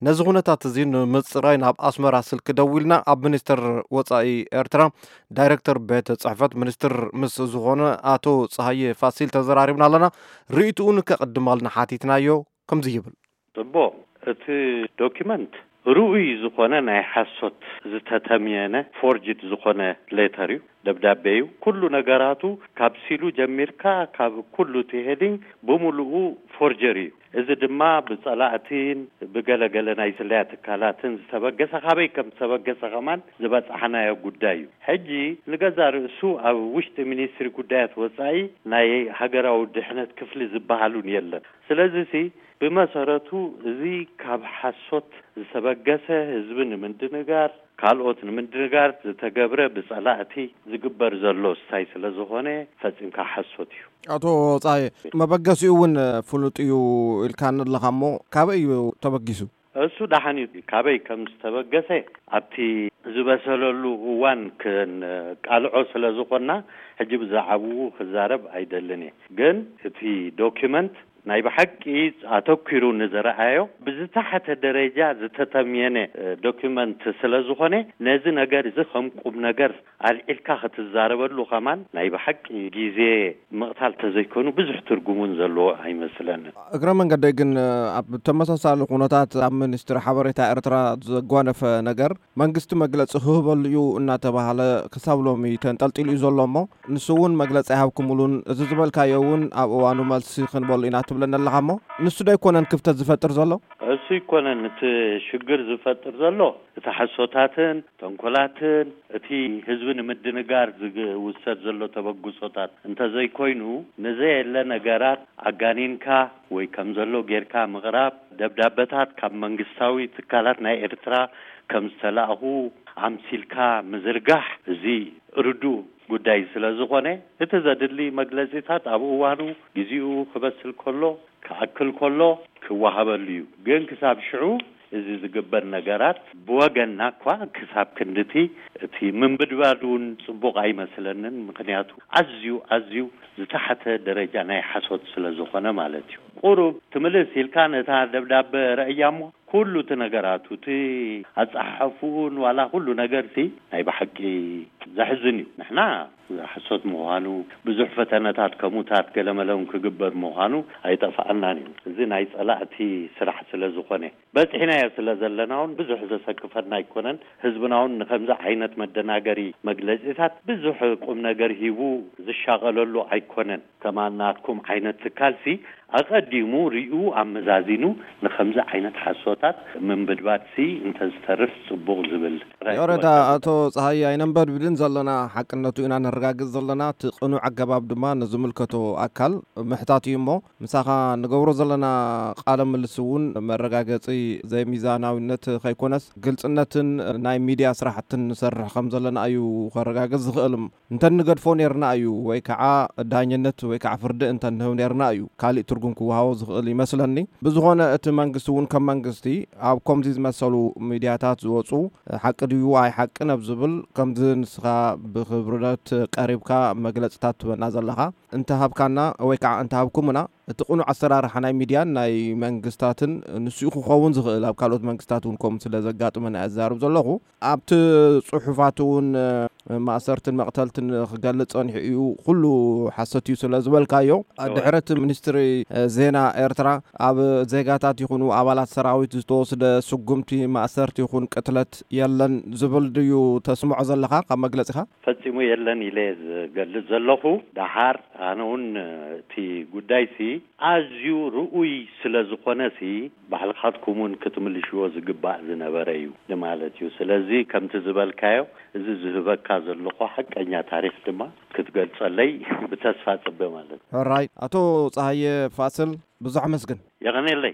ነዚ ኩነታት እዚ ንምጽራይ ናብ ኣስመራ ስልኪ ደዊልና ኣብ ሚኒስትር ወጻኢ ኤርትራ ዳይረክተር ቤት ጽሕፈት ሚኒስትር ምስ ዝኾነ ኣቶ ጸሃየ ፋሲል ተዘራሪብና ኣለና። ርእይትኡን ከቕድማልና ሓቲትናዮ። ከምዚ ይብል። ጽቡቕ። እቲ ዶኪመንት ርኡይ ዝኾነ ናይ ሓሶት ዝተተምየነ ፎርጅድ ዝኾነ ሌተር እዩ፣ ደብዳቤ እዩ። ኩሉ ነገራቱ ካብ ሲሉ ጀሚርካ ካብ ኩሉ እቲ ሄዲንግ ብምሉኡ ፎርጀሪ እዩ። እዚ ድማ ብጸላእቲን ብገለገለ ናይ ስለያ ትካላትን ዝተበገሰ፣ ካበይ ከም ዝተበገሰ ከማን ዝበጻሕናዮ ጉዳይ እዩ። ሕጂ ንገዛ ርእሱ ኣብ ውሽጢ ሚኒስትሪ ጉዳያት ወጻኢ ናይ ሃገራዊ ድሕነት ክፍሊ ዝበሃሉን የለን። ስለዚ ሲ ብመሰረቱ እዚ ካብ ሓሶት ዝተበገሰ፣ ህዝቢ ንምድንጋር ካልኦት ንምድንጋር ዝተገብረ ብጸላእቲ ዝግበር ዘሎ ስታይ ስለ ዝኾነ ፈጺምካ ሓሶት እዩ። ኣቶ ጻየ፣ መበገሲኡ እውን ፍሉጥ እዩ ኢልካኒ ኣለኻ እሞ ካበይ እዩ ተበጊሱ? እሱ ደሓን እዩ። ካበይ ከም ዝተበገሰ ኣብቲ ዝበሰለሉ እዋን ክንቃልዖ ስለ ዝኾንና ሕጂ ብዛዕባኡ ክዛረብ ኣይደልን እየ። ግን እቲ ዶኪመንት ናይ ብሓቂ ኣተኲሩ ንዝረኣዮ ብዝተሓተ ደረጃ ዝተተምየነ ዶኪመንት ስለ ዝኾነ ነዚ ነገር እዚ ከም ቁም ነገር ኣልዒልካ ክትዛረበሉ ከማን ናይ ብሓቂ ግዜ ምቕታል ተዘይኮኑ ብዙሕ ትርጉም እውን ዘለዎ ኣይመስለንን። እግረ መንገደይ ግን ኣብ ተመሳሳሊ ኩነታት ኣብ ሚኒስትሪ ሓበሬታ ኤርትራ ዘጓነፈ ነገር መንግስቲ መግለጺ ክህበሉ እዩ እናተባህለ ክሳብ ሎሚ ተንጠልጢሉ እዩ ዘሎ እሞ ንሱ እውን መግለጺ ኣይሃብኩምሉን። እዚ ዝበልካዮ እውን ኣብ እዋኑ መልሲ ክንበሉ ኢና ትብለኒ ኣለኻ እሞ ንሱ ዶ ኣይኮነን ክፍተት ዝፈጥር ዘሎ? እሱ ኣይኮነን እቲ ሽግር ዝፈጥር ዘሎ፣ እቲ ሓሶታትን ተንኮላትን እቲ ህዝቢ ንምድንጋር ዝውሰድ ዘሎ ተበግሶታት እንተዘይኮይኑ፣ ንዘየለ ነገራት ኣጋኒንካ ወይ ከም ዘሎ ጌርካ ምቕራብ፣ ደብዳበታት ካብ መንግስታዊ ትካላት ናይ ኤርትራ ከም ዝተላእኹ ኣምሲልካ ምዝርጋሕ፣ እዚ ርዱእ ጉዳይ ስለ ዝኾነ፣ እቲ ዘድሊ መግለጺታት ኣብ እዋኑ ግዜኡ ክበስል ከሎ፣ ክኣክል ከሎ ክወሃበሉ እዩ። ግን ክሳብ ሽዑ እዚ ዝግበር ነገራት ብወገንና እኳ ክሳብ ክንድቲ እቲ ምንብድባድ እውን ጽቡቕ ኣይመስለንን። ምኽንያቱ ኣዝዩ፣ ኣዝዩ ዝተሓተ ደረጃ ናይ ሓሶት ስለ ዝኾነ ማለት እዩ። ቁሩብ ትምልስ ኢልካ ነታ ደብዳበ ረእያ እሞ ኩሉ እቲ ነገራቱ፣ እቲ ኣጸሓሕፍኡን ዋላ ኩሉ ነገርሲ ናይ ብሓቂ ዘሕዝን እዩ። ንሕና ሓሶት ምዃኑ፣ ብዙሕ ፈተነታት ከምኡታት ገለመለውን ክግበር ምዃኑ ኣይጠፍኣናን እዩ። እዚ ናይ ጸላእቲ ስራሕ ስለ ዝኾነ፣ በጺሕናዮ ስለ ዘለና እውን ብዙሕ ዘሰክፈና ኣይኮነን። ህዝብና እውን ንኸምዚ ዓይነት መደናገሪ መግለጺታት ብዙሕ ቁም ነገር ሂቡ ዝሻቐለሉ ኣይኮነን። ከማን ናትኩም ዓይነት ትካልሲ ኣቐዲሙ ሪኡ ኣመዛዚኑ ንኸምዚ ዓይነት ሓሶታት ምንብድባድሲ እንተዝተርፍ ጽቡቕ ዝብል ራእይ ይቕሬታ ትወስድ። ኣቶ ጸሃየ ኣይነንበድብድን ዘለና፣ ሓቅነቱ ኢና ነረጋግጽ ዘለና። እቲ ቅኑዕ ኣገባብ ድማ ንዝምልከቶ ኣካል ምሕታት እዩ እሞ ምሳኻ ንገብሮ ዘለና ቃለ ምልስ እውን መረጋገጺ ዘይሚዛናዊነት ከይኮነስ ግልጽነትን ናይ ሚድያ ስራሕትን ንሰርሕ ከም ዘለና እዩ ከረጋግጽ ዝኽእል። እንተ ንገድፎ ኔርና እዩ ወይ ከዓ ዳኝነት ወይ ከዓ ፍርዲ እንተ ንህብ ኔርና እዩ ካሊእ ትርጉም ክወሃቦ ዝኽእል ይመስለኒ። ብዝኾነ እቲ መንግስቲ እውን ከም መንግስቲ ኣብ ከምዚ ዝመሰሉ ሚድያታት ዝወፁ ሓቂ ድዩ ኣይ ሓቅን ኣብ ዝብል ከምዚ ንስኻ ብክብርነት ቀሪብካ መግለፅታት ትበና ዘለኻ እንተ ሃብካና ወይ ከዓ እንተ ሃብኩምና እቲ ቅኑዕ ኣሰራርሓ ናይ ሚድያን ናይ መንግስታትን ንሱ ክኸውን ዝኽእል ኣብ ካልኦት መንግስታት እውን ከምኡ ስለ ዘጋጥመና እየ ዝዛረብ ዘለኹ። ኣብቲ ጽሑፋት እውን ማእሰርትን መቕተልትን ክገልጽ ጸኒሑ እዩ፣ ኩሉ ሓሰት እዩ ስለ ዝበልካዮ፣ ድሕሪ እቲ ሚኒስትሪ ዜና ኤርትራ ኣብ ዜጋታት ይኹኑ ኣባላት ሰራዊት ዝተወስደ ስጉምቲ ማእሰርቲ ይኹን ቅትለት የለን ዝብል ድዩ ተስምዖ ዘለኻ ካብ መግለጺኻ? ፈጺሙ የለን ኢለ ዝገልጽ ዘለኹ። ደሓር ኣነ እውን እቲ ጉዳይሲ ኣዝዩ ርኡይ ስለ ዝኾነሲ ባዕልኻትኩም እውን ክትምልሽዎ ዝግባእ ዝነበረ እዩ ንማለት እዩ። ስለዚ ከምቲ ዝበልካዮ እዚ ዝህበካ ዘለኹ ሓቀኛ ታሪኽ ድማ ክትገልጸለይ ብተስፋ ጽበ ማለት እዩ። ሕራይ ኣቶ ጸሃየ ፋስል ብዙሕ ኣመስግን። የቐኔለይ።